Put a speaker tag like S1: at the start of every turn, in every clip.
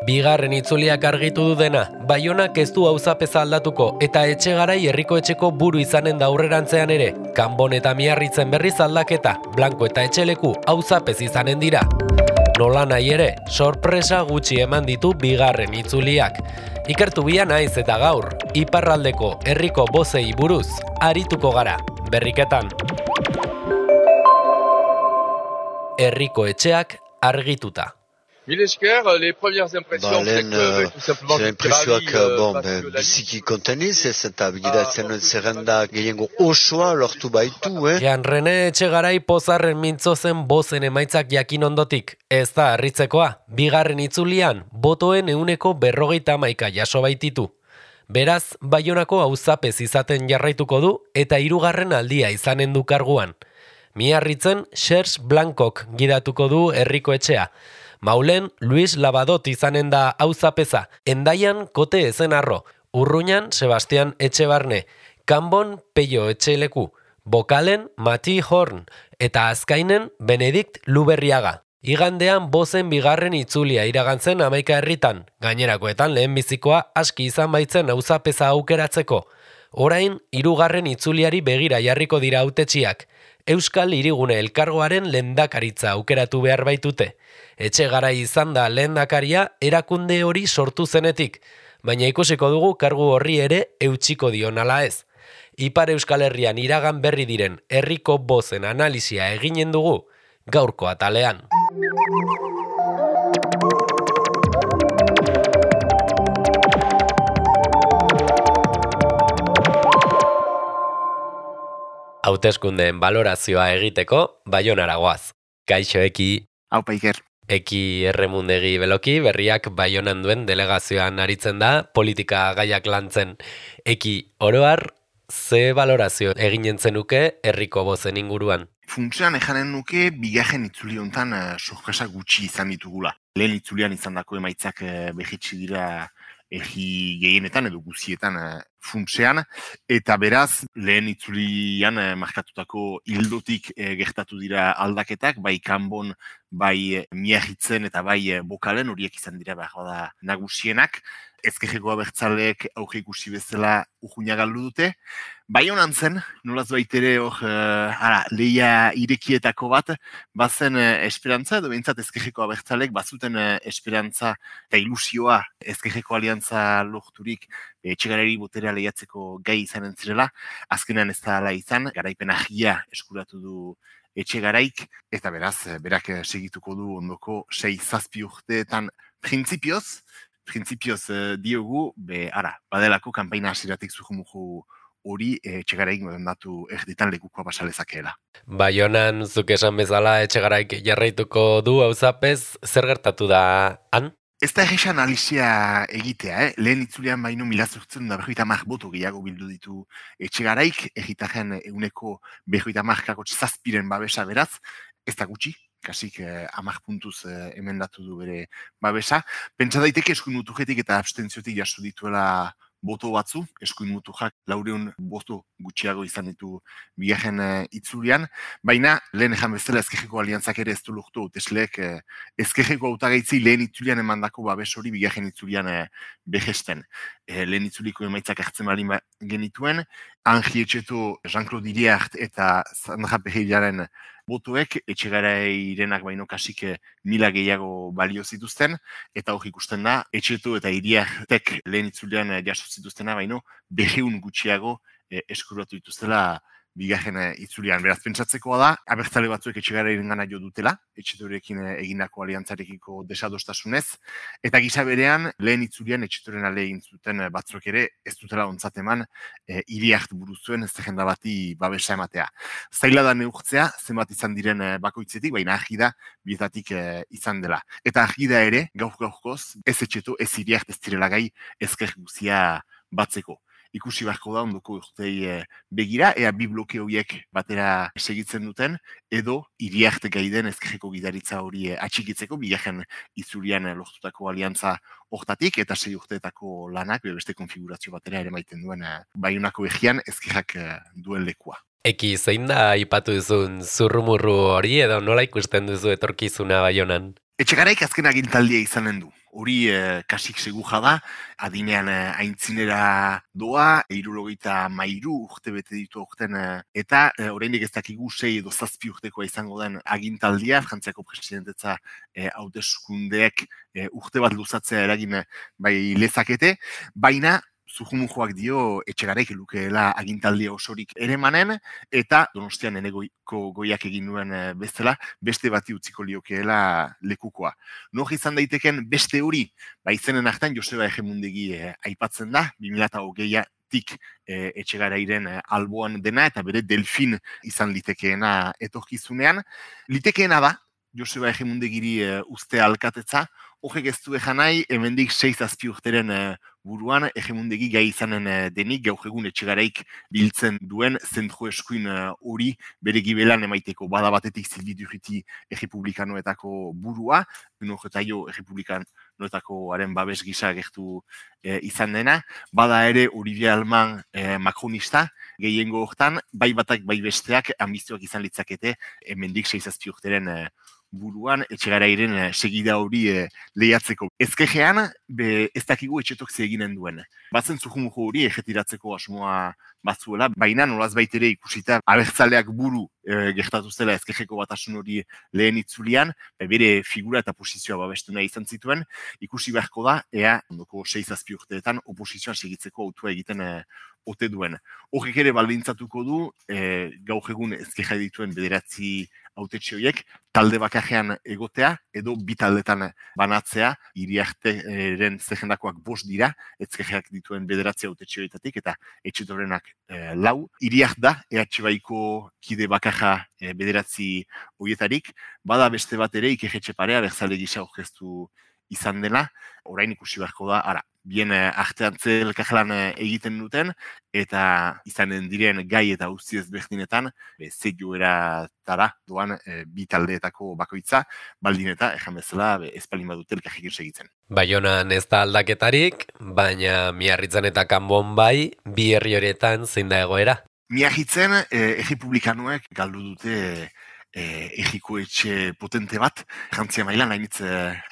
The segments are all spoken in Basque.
S1: Bigarren itzuliak argitu du dena, Baionak ez du auzapeza aldatuko eta Etxegarai herriko etxeko buru izanen da aurrerantzean ere. Kanbon eta Miarritzen berriz aldaketa, Blanko eta Etxeleku auzapez izanen dira. Nola nahi ere, sorpresa gutxi eman ditu bigarren itzuliak. Ikertu bia naiz eta gaur, iparraldeko herriko bozei buruz arituko gara, berriketan. Herriko etxeak argituta.
S2: Mille esker, les premières impressions, c'est que tout simplement
S3: j'ai l'impression que biziki konteniz ez eta begiratzen nuen zerrenda gehiengo osoa lortu baitu,
S1: Jean René Etxegarai pozarren mintzo zen bozen emaitzak jakin ondotik. Ez da harritzekoa, bigarren itzulian, botoen 50% jaso baititu. Beraz, Baionako auzapez izaten jarraituko du eta hirugarren aldia izanen du karguan. Miarritzen Serge Blancok gidatuko du herriko etxea. Maulen Luis Labadot izanen da auzapeza, Hendaian Kote Ezenarro, Urruñan Sebastian Etxebarne, Kanbon Peio Etxeleku, Bokalen Mati Horn eta Azkainen Benedikt Luberriaga. Igandean bozen bigarren itzulia iragantzen 11 herritan, gainerakoetan lehenbizikoa aski izan baitzen auzapeza aukeratzeko. Orain, hirugarren itzuliari begira jarriko dira hautetsiak. Euskal Hirigune Elkargoaren lehendakaritza aukeratu behar baitute. Etxegarai izan da lehendakaria erakunde hori sortu zenetik, baina ikusiko dugu kargu horri ere eutsiko dion ala ez. Ipar Euskal Herrian iragan berri diren herriko bozen analisia eginen dugu gaurko atalean. Hauteskundeen balorazioa egiteko Baionara goaz. Kaixo Eki.
S4: Aupa Iker.
S1: Eki Erremundegi Beloki, berriak Baionan duen delegazioan aritzen da, politika gaiak lantzen. Eki, oroar, ze balorazio eginen zenuke herriko bozen inguruan?
S4: Funtsean ejanen nuke bigarren itzuli hontan sorpresa gutxi izan ditugula. Lehen itzulian izandako emaitzak behitsi dira egi gehienetan edo guzietan funtsean, eta beraz lehen itzulian markatutako hildotik gertatu dira aldaketak, bai Kanbon, bai Miarritzen eta bai Bokalen, horiek izan dira behar da nagusienak. Ezkerreko abertzaleek auge ikusi bezala urruina galdu dute. Bai honan zen, nolaz baitere hor lehia irekietako bat, bazen esperantza, edo behintzat ezkerreko abertzaleek bazuten esperantza eta ilusioa ezkerreko aliantza lorturik Etxegarari boterea lehiatzeko gai izanen zirela. Azkenean ez da ala izan, garaipen argia eskuratu du Etxegaraik, eta beraz, berak segituko du ondoko 6-7 urteetan printzipioz diogu, badelako kanpaina hasiratik zujumuju hori Etxegaraik datu erditan lekukoa basalezakeela.
S1: Baionan, zuk esan bezala Etxegaraik jarraituko du auzapez, zer gertatu da han?
S4: Ez da egisa analizia egitea, lehen itzulean baino 1.850 boto gehiago bildu ditu Etxegaraik, egitaren 150,7 babesa beraz, ez da gutxi, kasik 10 puntuz emendatu du bere babesa. Pentsa daiteke eskuin mutujetik eta abstentziotik jaso dituela boto batzu, eskuin mutujak 400 boto gutxiago izan ditu bigarren itzulian, baina lehen ejan bezala ezkerreko aliantzak ere ez du lortu hautesleek ezkerreko hautagaitzi lehen itzulian emandako babes hori bigarren itzulian behesten. Lehen itzuliko emaitzak hartzen balin genituen, Angi Etxeto, Jean-Claude Iriart eta Sandra Perrilaren botoek Etxegarairenak baino kasik 1000 gehiago balio zituzten, eta hor ikusten da, Etxeto eta Iriartek lehen itzulean jaso zituztena baino 200 gutxiago eskuratu dituztela bigarren itzulian. Beraz, pentsatzekoa da, abertzale batzuek Etxegarairen gana jo dutela, Etxetorekin egindako aliantzarekiko desadostasunez, eta gisa berean, lehen itzulian Etxetoren ale egin zuten batzuk ere, ez dutela ontzat eman, Iriart buruzuen ez zerrenda bati babesa ematea. Zaila da neurtzea, zenbat izan diren bakoitzetik, baina argi da bietatik izan dela. Eta argi da ere, gaur-gaurkoz, ez Etxeto, ez Iriart ez direla gai ezker guzia batzeko. Ikusi beharko da ondoko urtei begira, ea bi bloke horiek batera segitzen duten, edo Iriart gaiden ezkerreko gidaritza hori atxikitzeko, bigarren itzulian lortutako aliantza hortatik, eta 6 urteetako lanak, beste konfigurazio batera ere maiten duen Baionako egian ezkerrak duen lekua.
S1: Eki, zein da aipatu duzun zurrumurru hori edo nola ikusten duzu etorkizuna Baionan?
S4: Etxegaraik azken agintaldia izanen du. hori kasik seguja da, adinean aintzinera doa, 73 urte bete ditu aurten, eta oraindik ez dakigu 6 edo 7 urtekoa izango den agintaldia, Frantziako presidentetza hauteskundeek urte bat luzatzea eragin bai lezakete, baina Zujumujoak dio Etxegaraik lukeela agintaldia osorik ere manen, eta Donostian enegoiko goiak egin duen bezala, beste bati utziko liokeela lekukoa. Nor izan daiteken beste hori, izenen artean Joseba Egemundegi aipatzen da, 2020tik Etxegarairen alboan dena, eta bere Delfin izan litekeena etorkizunean. Litekeena da, Joseba Egemundegiri uste alkatetza, horrek ez du ejan nahi, hemendik 6-7 urteren buruan, Egemundegi gai izanen denik, gaur egun Etxegaraik biltzen duen zentro eskuin hori bere gibelan emaiteko. Bada batetik Silvi Durruti errepublikanoetako burua, Unojetaio errepublikanoetakoaren babes gisa gertu izan dena. Bada ere Olivier Alman makronista, gehiengo hortan, bai batak bai besteak ambizioak izan litzakete, hemendik 6-7 urteren buruan, Etxegarairen segida hori lehiatzeko. Ezkejean, ez dakigu etxetok eginen duen. Batzen Zujumujo hori ejetiratzeko asmoa batzuela, baina nolaz baitere ikusita abertzaleak buru gertatu zela ezkejeko batasun hori lehen itzulian, bere figura eta posizioa babestu nahi izan zituen, ikusi beharko da, ea, ondoko 6-7 urteetan oposizioan segitzeko autua egiten ote duen. Horrek ere baldintzatuko du, gaur egun ezkeja dituen 9 hautetxe horiek, talde bakarrean egotea, edo bi taldetan banatzea, Iriarteren zehendakoak 5 dira, ezkejeak dituen 9 hautetxe horietatik, eta Etxetorenak 4. Iriart da, EH-baiko kide bakarra 9 horietarik, bada beste bat ere Ikejetxe Parea, berzale gisa aurkeztu izan dela, orain ikusi beharko da, bien artean elkarlan egiten duten, eta izanen diren gai eta guzti ezberdinetan, ze joeratara doan bi taldeetako bakoitza, baldin eta, ejan bezala, espalin badute elkarrekin segitzen.
S1: Baionan ez da aldaketarik, baina Miarritzen eta Kanbon bai, bi herri horietan zein da egoera?
S4: Miarritzen, errepublikanoek galdu dute egiko etxe potente bat, Frantzia mailan hainitz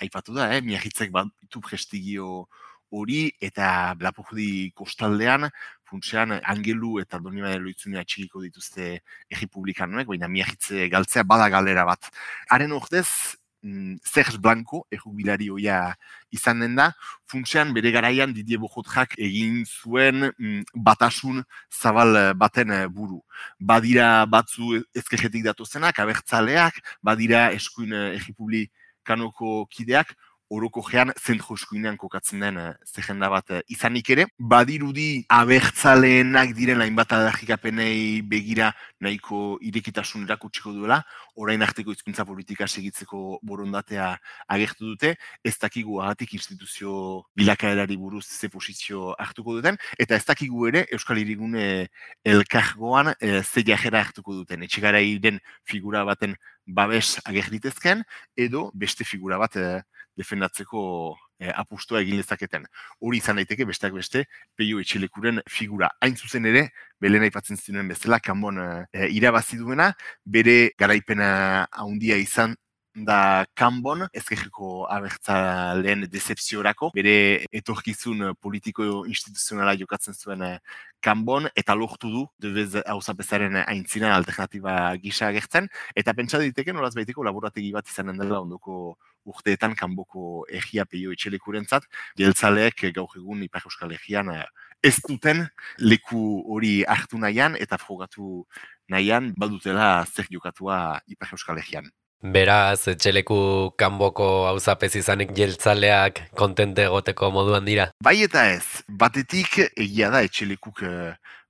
S4: aipatu da, Miarritzek baditu prestigio hori eta Lapurdi kostaldean, funtsean Angelu eta Donibane Lohitzunea txikiko dituzte errepublikanoek, baina Miarritze galtzea bada galera bat. Haren ordez, Serge Blanco, errubilari hoia izan den da, funtsean bere garaian Didier Bojotrak egin zuen batasun zabal baten buru. Badira batzu ezkerretik datozenak, abertzaleak, badira eskuin errepublikanoko kideak, orokojean zentro eskuinean kokatzen den zerrenda bat izanik ere. Badirudi abertzaleenak diren hainbat aldarrikapenei begira nahiko irekitasun erakutsiko duela, orain arteko hizkuntza politika segitzeko borondatea agertu dute, ez dakigu agatik instituzio bilakaerari buruz ze posizio hartuko duten, eta ez dakigu ere Euskal Hirigune elkargoan ze jarrera hartuko duten. Etxegarairen figura baten babes agerritezken, edo beste figura bat defendatzeko apustua egin lezaketen. Hori izan daiteke besteak beste Peio Etxelekuren figura. Hain zuzen ere, Belen aipatzen zinuen bezala, Kanbon irabazi duena, bere garaipena handia izan da Kanbon, ezkerreko abertzaleen decepziorako, bere etorkizun politiko instituzionala jokatzen zuen Kanbon, eta lortu du, Devez hauzapezaren aintzina alternatiba gisa agertzen, eta pentsa diteke nolaz baiteko laborategi bat izanen dela ondoko urteetan Kanboko egia Peio Etxelekurentzat, jeltzaleek gaur egun Ipar Euskal Herrian ez duten leku hori hartu nahian eta frogatu nahian badutela zer jokatua Ipar Euskal Herrian.
S1: Beraz, Etxeleku Kanboko auzapez izanik jeltzaleak kontente egoteko moduan dira?
S4: Bai eta ez, batetik egia da Etxelekuk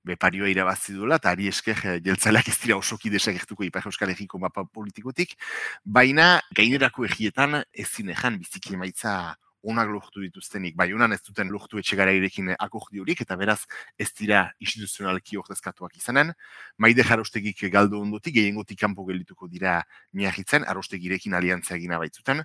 S4: beparioa irabazi duela, eta ari esker jeltzaleak ez dira osoki desagertuko Ipar Euskal Herriko mapa politikotik, baina gainerako egietan ezin ejan biziki emaitza onak lortu dituztenik. Bai, honan ez duten lortu Etxegarairekin akordiorik, eta beraz ez dira instituzionalki ordezkatuak izanen. Maide Arostegik galdu ondotik, gehiengotik kanpo geldituko dira Miarritzen, Arostegirekin aliantzia egina baitzuten.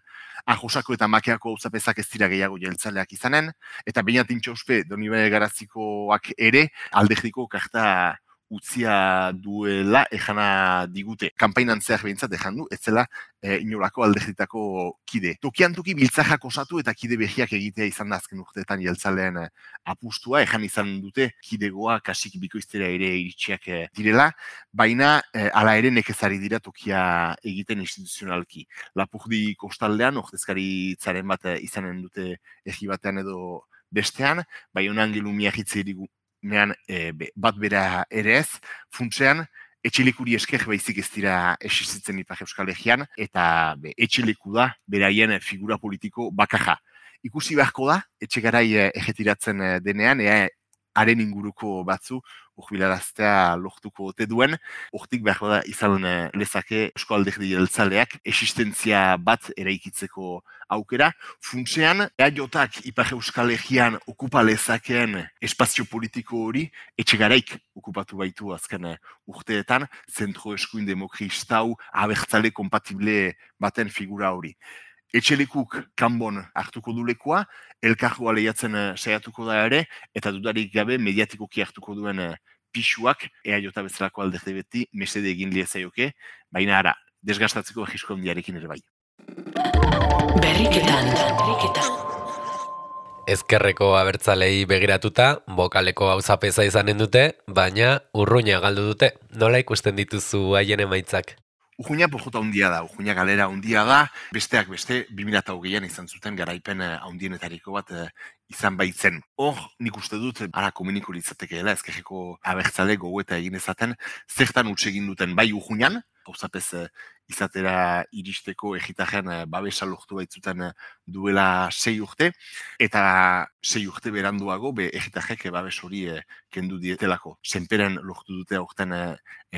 S4: Josako eta Makeako auzapezak ez dira gehiago jeltzaleak izanen, eta Beñatin Txospe, Donibane Garazikoak ere, alderdiko karta utzia duela ejana digute. Kanpainan zehar behintzat ejan du, ez zela inolako alderditako kide. Tokian toki biltzajak osatu eta kide behiak egitea izan da azken urteetan jeltzaleen apustua, ejan izan dute kidegoa kasik bikoiztera ere iritsiak direla, baina hala ere nekezari dira tokia egiten instituzionalki. Lapurdi kostaldean, ordezkaritzaren bat izanen dute egi batean edo bestean, bai honan gelu miagitze nean bat bera ere ez, funtsean, etxelikuri esker baizik ez dira existitzen Ipar Euskal Herrian, eta etxeleku da beraien figura politiko bakarra. Ikusi beharko da, etxegarai ejetiratzen denean, haren inguruko batzu, urbilaraztea lortuko ote duen, hortik beharko da izan lezake Eusko Alderdi Jeltzaleak existentzia bat eraikitzeko aukera. Funtsean, eaiotak Ipar Euskal Herrian okupa lezakeen espazio politiko hori etxegaraik okupatu baitu azken urteetan, zentro eskuin demokraistau abertzale kompatible baten figura hori. Etxelekuk kanbon hartuko du lekua, elkargoa lehiatzen saiatuko da ere, eta dudarik gabe mediatikoki hartuko duen pisuak, eaiota bezalako alderdi beti, mesede egin liezaioke, baina ara, desgastatzeko egisko handiarekin ere bai.
S1: Berriketan. Ezkerreko abertzalei begiratuta, bokaleko gauzapeza izanen dute, baina urruina galdu dute. Nola ikusten dituzu haien emaitzak?
S4: Urruina pojota handia da, urruina galera handia da, besteak beste 2008an izan zuten garaipen handienetariko bat izan baitzen. Hor, nik uste dut, ara komuniko litzatekeela, ezkerreko abertzale gogoeta egin ezaten, zertan utxe egin duten bai urruinan, gauzapez izatera iristeko egitaren babesa lortu baitzuten duela 6 urte, eta 6 urte beranduago egitarek babes hori kendu dietelako. Senperen lortu dute aurten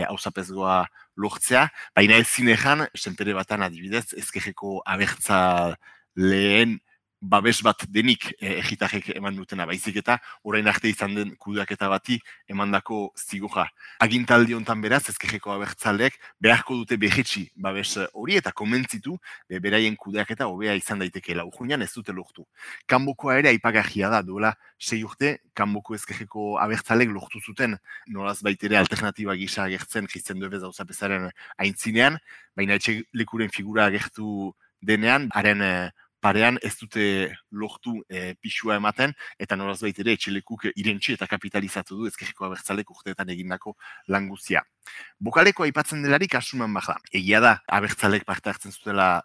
S4: hauzapezgoa lortzea, baina ez zinejan, senpere batan adibidez, ezkerreko abertzaleen babes bat denik egitarek eman dutena baizik eta orain arte izan den kudeaketa bati emandako zigoja. Agintaldi hontan beraz, ezkerreko abertzaleek beharko dute behetsi babes hori eta komentzitu beraien kudeaketa hobea izan daitekeela. Urruinan ez dute lortu. Kanbokoa ere aipagarria da, duela 6 urte, kanboko ezkerreko abertzaleek lortu zuten nolaz baitere alternatiba gisa agertzen Christian Devez hauzapezaren aintzinean, baina etxelekuren figura agertu denean, haren parean ez dute lortu pisua ematen, eta nolaz baitere etxelekuk irentsi eta kapitalizatu du ezkerreko abertzalek urteetan egindako lan guztia. Bokaleko aipatzen delarik asuman bada. Egia da, abertzalek parte hartzen zutela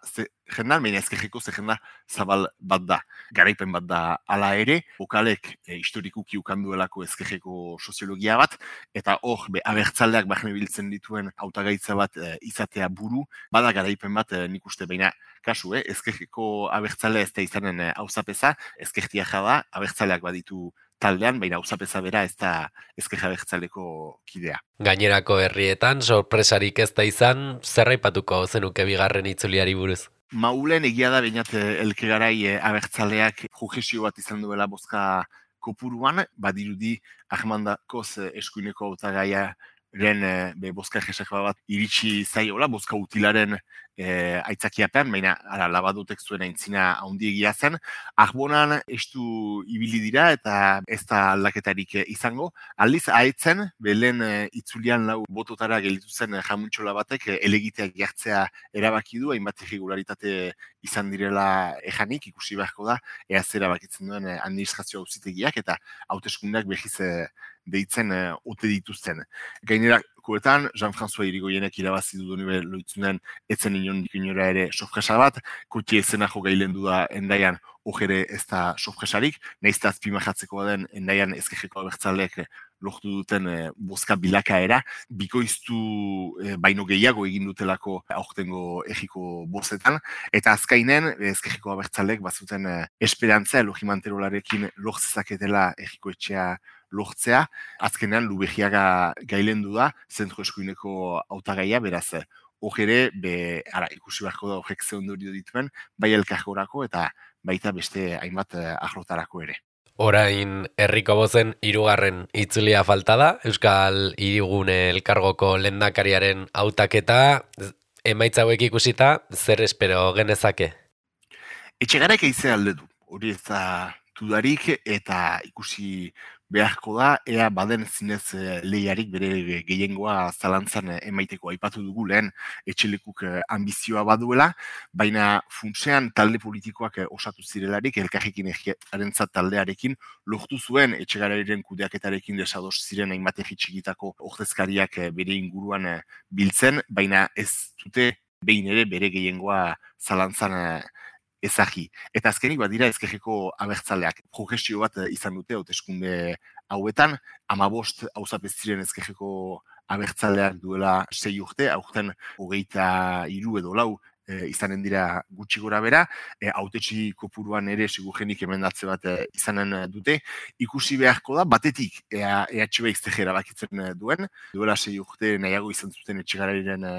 S4: jendan, baina ezkerreko jenda zabal bat da. Garaipen bat da hala ere, bokalek historikuki ukanduelako ezkerreko soziologia bat, eta hor, abertzaleak barne biltzen dituen hautagaitza bat izatea buru, bada garaipen bat nik uste, baina kasu, ezkerreko abertzale ez da izanen hauzapeza, ezkertia jada, abertzaleak baditu taldean, baina hauzapeza bera ez da ezkerra abertzaleko kidea.
S1: Gainerako herrietan, sorpresarik ez da izan, zer aipatuko zenuke bigarren itzuliari buruz?
S4: Maulen egia da bainat elkegarai abertzaleak jogesio bat izan duela bozka kopuruan, badirudi Ahmandakoz eskuineko hautagaiaren bozka jesakba bat iritsi zaiola, bozka utilaren aitzakiapean, baina labadotek zuen aintzina handiegia zen. Arbonan estu ibili dira eta ez da aldaketarik izango. Aldiz, haetzen, belen itzulian lau bototara gelditu zen jamuntxola batek elegiteak jartzea erabaki du, hainbat irregularitate izan direla ejanik, ikusi beharko da, ea zer erabakitzen duen administrazio auzitegiak eta hauteskundeak behiz deitzen ote dituzten. Gainerakoetan, Jean-François Irigoyenek irabazi du donibe loitzunen etzen inondik inora ere sofresa bat, kotie ezenajo gailendu da endaian ojere ez da sofresarik, nahiz da azpimajatzeko den endaian ezkerreko abertzaleek lortu duten bozka bilakaera, bikoiztu baino gehiago egin dutelako aurtengo egiko bozetan, eta azkainen ezkerreko abertzaleek bazuten esperantza Logimanterolarekin lortzezaketela egiko etxea lortzea, azkenean Lubegiaga gailendu da, zentro eskuineko hautagaia, beraz, hogere, ikusi beharko da horrek ze ondorio dituen, bai elkargorako eta baita beste hainbat arlotarako ere.
S1: Orain herriko bozen 3. itzulia falta da, Euskal Hirigune Elkargoko lehendakariaren hautaketa, emaitza hauek ikusita, zer espero genezake?
S4: Etxegaraik eizea alde du, hori ez da dudarik eta ikusi beharko da, ea baden zinez lehiarik bere gehiengoa zalantzan emaiteko. Aipatu dugu lehen etxelekuk ambizioa baduela, baina funtsean talde politikoak osatu zirelarik, elkarrekin egiarentzat taldearekin, lortu zuen Etxegarairen kudeaketarekin desados ziren hainbat txikitako ordezkariak bere inguruan biltzen, baina ez dute behin ere bere gehiengoa zalantzan ezagi. Eta azkenik badira ezkerreko abertzaleak progresio bat izan dute hauteskunde hauetan, 15 auzapez ziren ezkerreko abertzaleak duela 6 urte, aurten 23 edo 4 izanen dira gutxi gora bera, hautetsi kopuruan ere sigurgenik emendatze bat izanen dute. Ikusi beharko da, batetik EHB iztegera bakitzen duen, duela 6 urte nahiago izan zuten Etxegarairen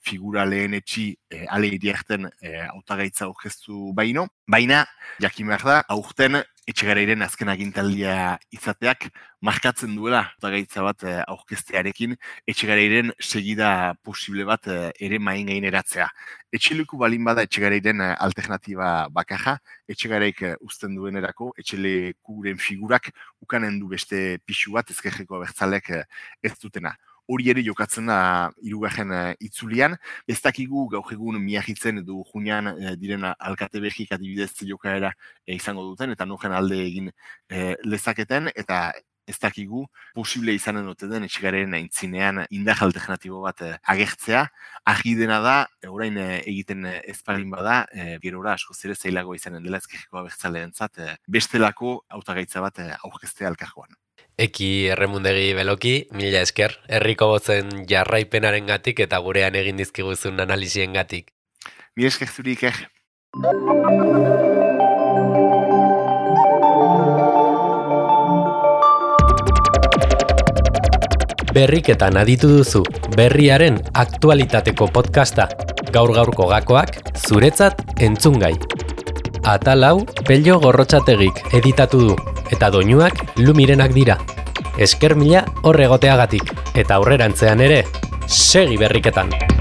S4: figura lehenetxi ale iriarten hautagaitza aurkeztu baino, baina jakin behar da, aurten Etxegarairen azken agintaldia izateak markatzen duela hautagaitza bat aurkeztearekin Etxegarairen segida posible bat ere main gaineratzea. Etxeleku balin bada Etxegarairen alternatiba bakarra, Etxegaraik uzten duenerako, etxelekuren figurak ukanen du beste pixu bat ezkerreko abertzaleak ez dutena. Hori ere jokatzen da hirugarren itzulian. Ez dakigu gaur egun miahitzen edo junean diren alkate behik adibidez jokaera izango duten, eta noren alde egin lezaketen, eta ez dakigu posible izanen dute den Etxegarairen aintzinean indar alternatibo bat agertzea. Argi dena da, orain egiten ezparin bada, gerora asko zere zailago izanen dela ezkerreko abertzaleentzat bestelako hautagaitza bat aurkeztea elkargoan.
S1: Eki Erremundegi Beloki, mila esker, herriko botzen jarraipenaren gatik eta gurean egin dizkiguzun analisien gatik.
S4: Mila esker zuri, Iker.
S1: Berriketan aditu duzu, berriaren aktualitateko podcasta, gaur-gaurko gakoak, zuretzat entzungai. Atal hau, Pello Gorrotxategik editatu du, eta doinuak Lumirenak dira. Esker mila hor egoteagatik, eta aurrerantzean ere, segi berriketan!